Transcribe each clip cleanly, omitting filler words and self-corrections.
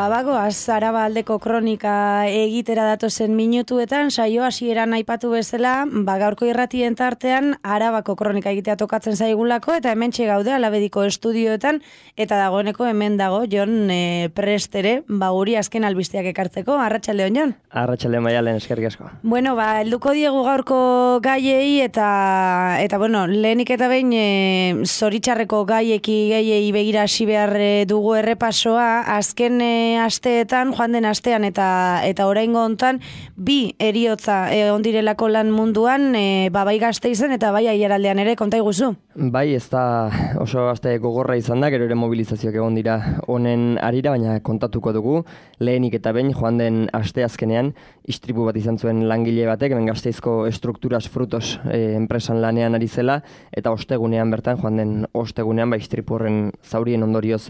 Bagoaz Araba aldeko kronika egitera datozen minutuetan, saio hasieran aipatu bezala, gaurko irratien tartean Arabako kronika egitea tokatzen zaigulako, eta hementxe gaude Alabediko estudioetan, eta dagoeneko hemen dago Jon Prestere, guri azken albisteak ekartzeko. Arratsaldeon, Jon? Arratsaldeon, Maialen, eskerrik asko. Bueno, helduko diegu gaurko gaiei, eta bueno, lehenik eta behin zoritxarreko gehiei begira hasi behar dugu errepasoa. Azken asteetan, joan den astean eta oraingo hontan, bi heriotza ondirelako lan munduan, bai Gasteizen eta bai Aiaraldean ere, konta iguzu? Bai, ez da oso aste gogorra izan da, gero ere mobilizazioak egon dira honen arira, baina kontatuko dugu. Lehenik eta behin, joan den asteazkenean, istripu bat izan zuen langile batek, hemen Gasteizko Estrukturas Frutos enpresan lanean ari zela, eta ostegunean bertan, joan den ostegunean, istripu horren zaurien ondorioz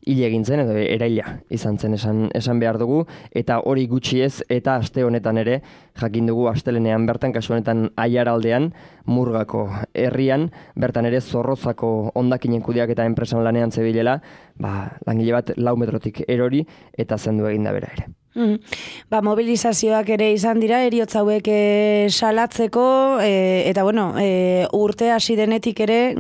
hile egin zen, edo eraila izan zen esan behar dugu, eta hori gutxi ez, eta aste honetan ere, jakin dugu astelenean bertan, kasu honetan Aiaraldean, Murgako herrian, bertan ere Zorrozako hondakinen kudeak eta enpresan lanean zebilela, langile bat 4 metrotik erori, eta zendu egin da bera ere. Mobilizazioak ere izan dira, heriotza hauek salatzeko, eta bueno, urte hasi denetik ere,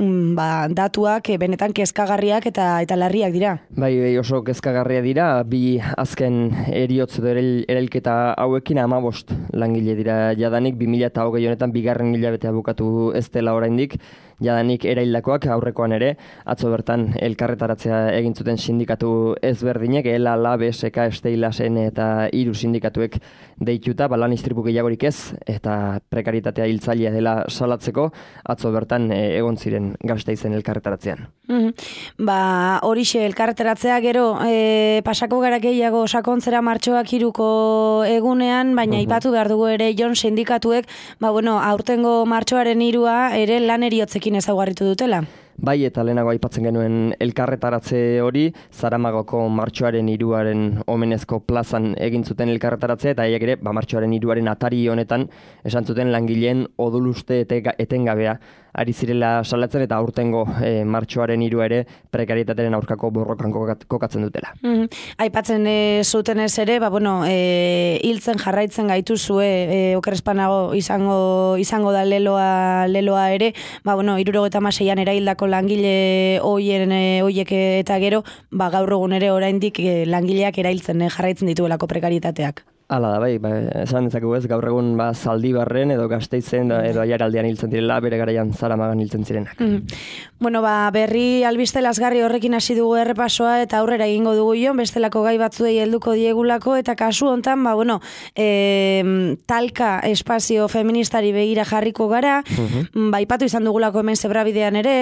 datuak benetan kezkagarriak eta larriak dira. Bai, oso kezkagarria dira, bi azken heriotz edo erailketa hauekin 15 langile dira jadanik, 2020 honetan bigarren hilabetea bukatu ez dela oraindik, jadanik eraildakoak aurrekoan ere, atzo bertan elkarretaratzea egin zuten sindikatu ezberdinek, ELA, LAB, SK, Steilasen eta 3 sindikatuek deituta, lan istripu gehiagorik ez, eta prekaritatea hiltzailea dela salatzeko, atzo bertan egon ziren Gasteizen elkarretaratzean. Horixe elkarretaratzea gero, pasako gara gehiago sakontzera martxoak 3ko egunean, baina aipatu behar dugu ere Jon sindikatuek, aurtengo martxoaren 3a ere lan eriotzekin ezaugarritu dutela. Bai, eta lehenago aipatzen genuen elkarretaratze hori, Zaramagoko martxoaren 3aren omenezko plazan egin zuten elkarretaratzea, eta haiek ere, martxoaren 3aren atari honetan, esan zuten langileen odoluste etengabea ari zirela salatzen, eta aurtengo martxoaren 3 ere prekarietatearen aurkako borrokan kokatzen dutela. Aipatzen zuten ez ere, hiltzen jarraitzen gaituzue, okerespanago izango da leloa ere, 76an eraildako langile hoiek eta gero, gaur egun ere oraindik langileak erailtzen jarraitzen dituelako prekaritateak. Hala da, esan dezakegu ez, gaur egun Zaldibarren edo Gasteizen edo Aiaraldean hiltzen direla, bere garaian Zaramagan hiltzen zirenak. Berri albiste lazgarri horrekin hasi dugu errepasoa, eta aurrera egingo dugu Jon, bestelako gai batzuei helduko diegulako, eta kasu hontan, talka espazio feministari begira jarriko gara, aipatu izan dugulako hemen Zebrabidean ere,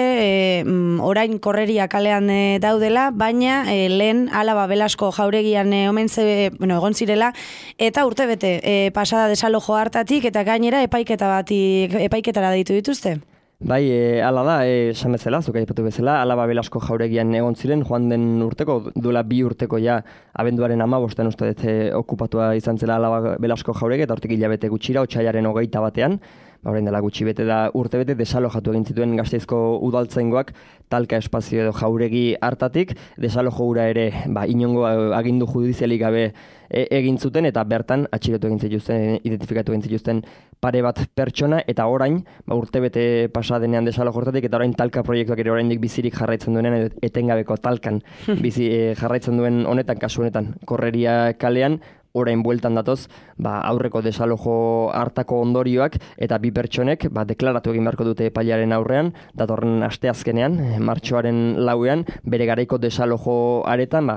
orain korreria kalean daudela, baina lehen Alaba Belasko jauregian egon zirela, eta urtebete pasada desalojo hartatik, eta gainera epaiketara deitu dituzte. Bai, hala da, esan bezala, zuk aipatu bezala, Alaba Belasko jauregian egon ziren, joan den urteko, duela 2 urteko ja, abenduaren 15 uste dut okupatua izan zela Alaba Belasko jauregi, eta hortik hilabete gutxira, otsailaren 21, orain dela gutxi bete da urtebete desalojatu egin zituen Gasteizko udaltzaingoak talka espazio edo jauregi hartatik, desalojo hura ere inongo agindu judizialik gabe egin zuten, eta bertan atxilotu egin zituzten, identifikatu egin zituzten pare bat pertsona, eta orain, urtebete pasa denean desalojo hortatik, eta orain talka proiektuak ere oraindik bizirik jarraitzen duenean, etengabeko talkan bizi jarraitzen duen honetan, kasu honetan, korreria kalean, orain bueltan datoz, aurreko desalojo hartako ondorioak, eta bi pertsonek deklaratu egin beharko dute epailaren aurrean, datorren asteazkenean, martxoaren 4ean, bere garaiko desalojo aretan,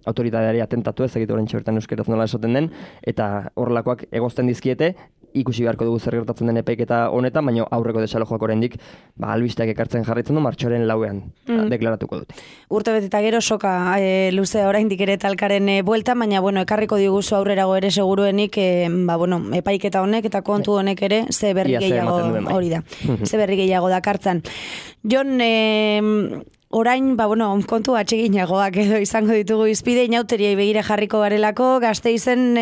autoritateari atentatu ez, egitu orain txabertan euskeraz nola esaten den, eta horrelakoak egozten dizkiete, ikusi beharko dugu zer gertatzen den epaiketa honetan, baina aurreko desalojoak oraindik albisteak ekartzen jarraitzen du martxoaren 4ean deklaratuko dute. Urtebete eta gero soka luzea oraindik ere talkaren bueltan, baina ekarriko diguzu aurrerago ere seguruenik epaiketa honek eta kontu honek ere ze berri gehiago hori da. Ze berri gehiago dakartzan. Jon, orain, kontu atseginagoak edo izango ditugu izpide, inauteriai begire jarriko garelako, Gasteizen,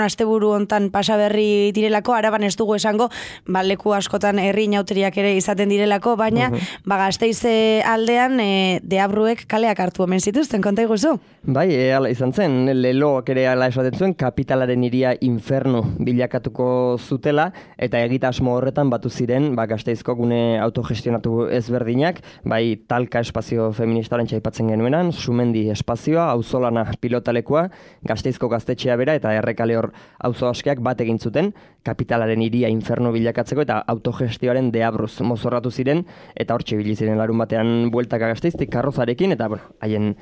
asteburu hontan pasaberri direlako, Araban ez dugu esango, leku askotan herri inauteriak ere izaten direlako, baina, Gasteize aldean, deabruek kaleak hartu omen zituzten, konta iguzu? Bai, ala izan zen, leloak ere ala esaten zuen, kapitalaren hiria infernu bilakatuko zutela, eta egitasmo horretan batu ziren, Gasteizko gune autogestionatu ezberdinak, bai talka espazio feministaren txaipatzen genuenan, Sumendi espazioa, auzolana pilotalekua, Gasteizko gaztetxea bera eta errekale hor auzo askeak bat egin zuten, kapitalaren hiria infernu bilakatzeko eta autogestioaren deabruz mozorratu ziren, eta hortxe ibili ziren larun batean bueltaka Gasteiztik karrozarekin, eta haien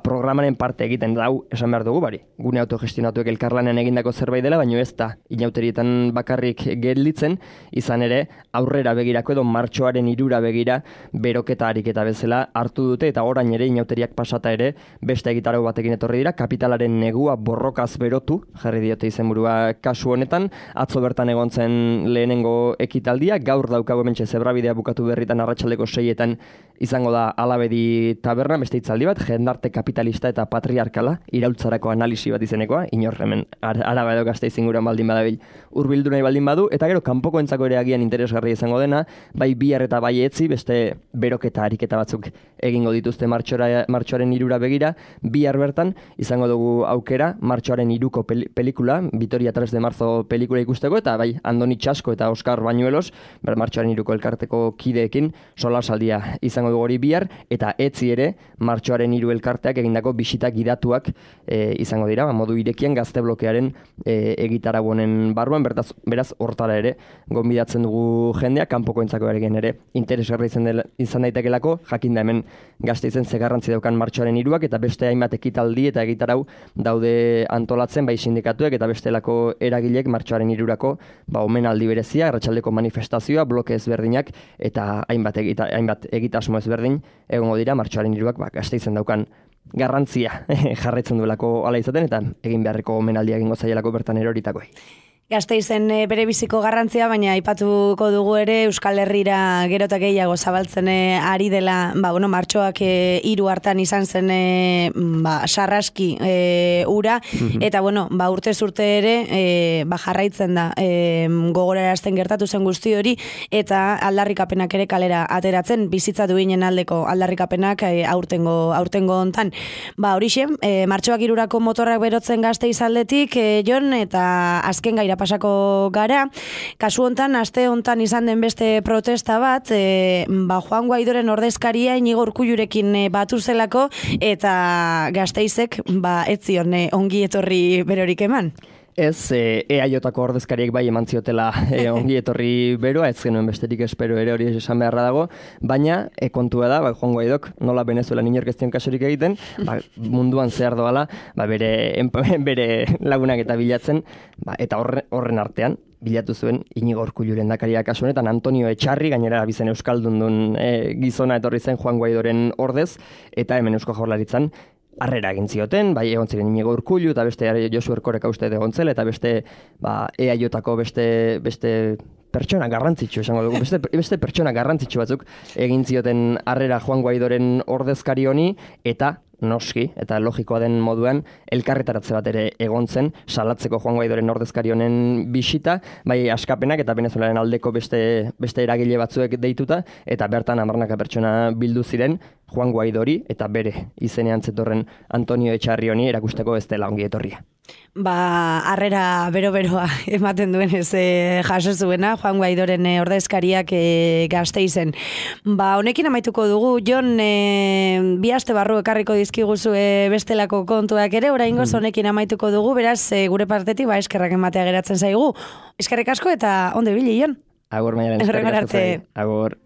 programaren parte egiten dau esan behar dugu, gune autogestionatuek elkarlanean egindako zerbait dela, baino ez da inauterietan bakarrik gelditzen, izan ere aurrera begirako edo martxoaren 3 begira beroketa ariketa bezala hartu dute, eta orain ere inauteriak pasata ere beste egitarau batekin etorri dira, kapitalaren negua borrokaz berotu, jarri diote izenburua kasu honetan, atzo bertan egon zen lehenengo ekitaldia, gaur daukago hementxe zebrabidea bukatu berritan arratsaldeko 6etan izango da Alabedi taberna, beste hitzaldi bat, jendarte kapitalista eta patriarkala, iraultzarako analisi bat izenekoa, inor hemen Araba edo Gasteiz inguruan baldin badabil hurbildu nahi baldin badu, eta gero kanpokoentzako ere agian interesgarria izango dena, bai bihar eta bai etzi, beste beroketa ariketa batzuk egingo dituzte martxoaren 3 begira, bihar bertan izango dugu aukera martxoaren 3ko pelikula, Vitoria 3 de marzo pelikula ikusteko, eta bai Andoni Txasko eta Oskar Bañuelos, martxoaren 3ko elkarteko kideekin solasaldia izango dugu hori bihar, eta etzi ere martxoaren 3 elkarteak egindako bisita gidatuak izango dira, modu irekian gazte blokearen egitarau honen barruan, beraz hortara ere gonbidatzen dugu jendea, kanpokoentzako ere interesgarri izan daitekelako, jakinda hemen Gasteizen ze garrantzi daukan martxoaren 3ak, eta beste hainbat ekitaldi eta egitarau daude antolatzen bai sindikatuek eta bestelako eragilek martxoaren 3ako omenaldi berezia, arratsaldeko manifestazioa, bloke ezberdinak eta hainbat egitasmo ezberdin egongo dira martxoaren 3ak Gasteizen daukan garrantzia jarraitzen duelako hala izaten, eta egin beharreko omenaldia egingo zaielako bertan eroritakoei. Gasteizen bere biziko garrantzia, baina aipatuko dugu ere Euskal Herrira gero eta gehiago zabaltzen ari dela, martxoak 3 hartan izan zen sarraski ura, eta urtez urte ere jarraitzen da gogorarazten gertatu zen guzti hori, eta aldarrikapenak ere kalera ateratzen, bizitza duinen aldeko aldarrikapenak aurtengo hontan. Horixe, martxoak 3ako motorrak berotzen Gasteiz aldetik, Jon, eta azken gaira pasako gara. Kasu hontan, aste hontan izan den beste protesta bat, Juan Guaidoren ordezkaria Inigo Urkullurekin batu zelako, eta Gasteizek ez zion ongi etorri berorik eman. Ez, EAJko ordezkariek bai eman ziotela ongi etorri beroa, ez genuen besterik espero ere hori esan beharra dago, baina kontua da, Juan Guaidok nola Venezuelan inork ez dion kasurik egiten, munduan zehar doala, bere lagunak eta bilatzen, eta horren artean, bilatu zuen Inigo Urkullu lehendakaria kasu honetan, Antonio Etxarri, gainera bizen euskaldun duen gizona etorri zen Juan Guaidoren ordez, eta hemen Eusko Jaurlaritzan harrera egin zioten, bai egon ziren Inigo Urkullu eta beste Josu Erkoreka uste egon zela, eta beste EAJko beste pertsona garrantzitsu esango dugu, beste pertsona garrantzitsu batzuk egin zioten harrera Juan Guaidoren ordezkari honi, eta noski, eta logikoa den moduan, elkarretaratze bat ere egon zen, salatzeko Juan Guaidoren ordezkari honen bisita, bai askapenak eta Venezuelaren aldeko beste eragile batzuek deituta, eta bertan 10 pertsona bildu ziren Juan Guaidori eta bere izenean zetorren Antonio Etxarri honi erakusteko ez dela ongi etorria. Harrera bero-beroa ematen duen ez jaso zuena Juan Guaidoren ordezkariak Gasteizen. Honekin amaituko dugu, Jon, 2 aste barru ekarriko dizkiguzu bestelako kontuak ere, oraingoz honekin amaituko dugu, beraz gure partetik eskerrak ematea geratzen zaigu. Eskerrik asko eta ondo ibili, Jon. Agur, Maialen, eskerrik asko zai. Agur.